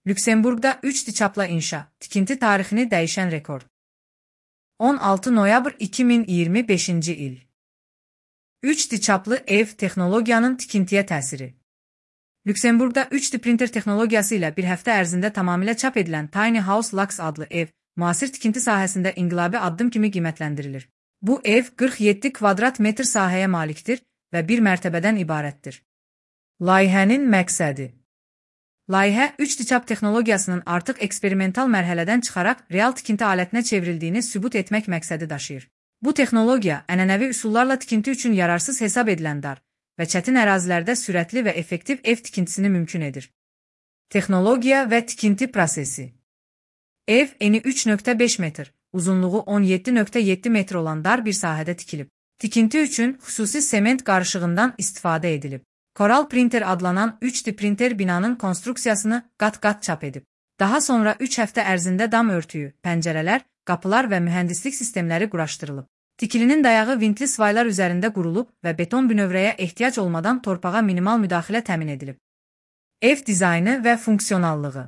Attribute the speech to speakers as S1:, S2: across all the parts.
S1: Lüksemburqda 3 dikaplı inşa, tikinti tarixini dəyişən rekord. 16 noyabr 2025-ci il. 3 dikaplı ev texnologiyanın tikintiyə təsiri. Lüksemburqda 3D printer texnologiyası ilə bir həftə ərzində tamamilə çap edilən Tiny House Lux adlı ev, müasir tikinti sahəsində inqilabi addım kimi qiymətləndirilir. Bu ev 47 kvadrat metr sahəyə malikdir və bir mərtəbədən ibarətdir. Layihənin məqsədi. Layihə 3 dikap texnologiyasının artıq eksperimental mərhələdən çıxaraq real tikinti alətinə çevrildiyini sübut etmək məqsədi daşıyır. Bu texnologiya ənənəvi üsullarla tikinti üçün yararsız hesab edilən dar və çətin ərazilərdə sürətli və effektiv ev tikintisini mümkün edir. Texnologiya və tikinti prosesi. Ev eni 3,5 metr, uzunluğu 17,7 metr olan dar bir sahədə tikilib. Tikinti üçün xüsusi sement qarışığından istifadə edilib. Coral Printer adlanan 3D printer binanın konstruksiyasını qat-qat çap edib. Daha sonra 3 həftə ərzində dam örtüyü, pəncərələr, qapılar və mühəndislik sistemləri quraşdırılıb. Tikilinin dayağı vintli svaylar üzərində qurulub və beton bünövrəyə ehtiyac olmadan torpağa minimal müdaxilə təmin edilib. Ev dizaynı və funksionallığı.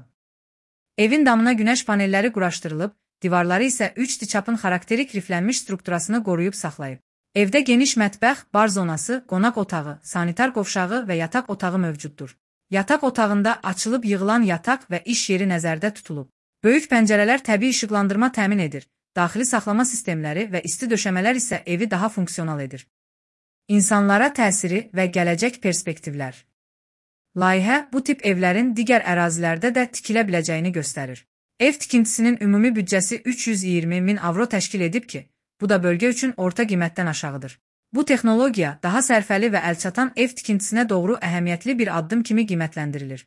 S1: Evin damına günəş panelləri quraşdırılıb, divarları isə 3 dikapın xarakterik riflənmiş strukturasını qoruyub saxlayıb. Evdə geniş mətbəx, bar zonası, qonaq otağı, sanitar qovşağı və yataq otağı mövcuddur. Yataq otağında açılıb yığılan yataq və iş yeri nəzərdə tutulub. Böyük pəncərələr təbii işıqlandırma təmin edir. Daxili saxlama sistemləri və isti döşəmələr isə evi daha funksional edir. İnsanlara təsiri və gələcək perspektivlər. Layihə bu tip evlərin digər ərazilərdə də tikilə biləcəyini göstərir. Ev tikintisinin ümumi büdcəsi 320 min avro təşkil edib ki, bu da bölgə üçün orta qiymətdən aşağıdır. Bu texnologiya daha sərfəli və əlçatan ev tikintisinə doğru əhəmiyyətli bir addım kimi qiymətləndirilir.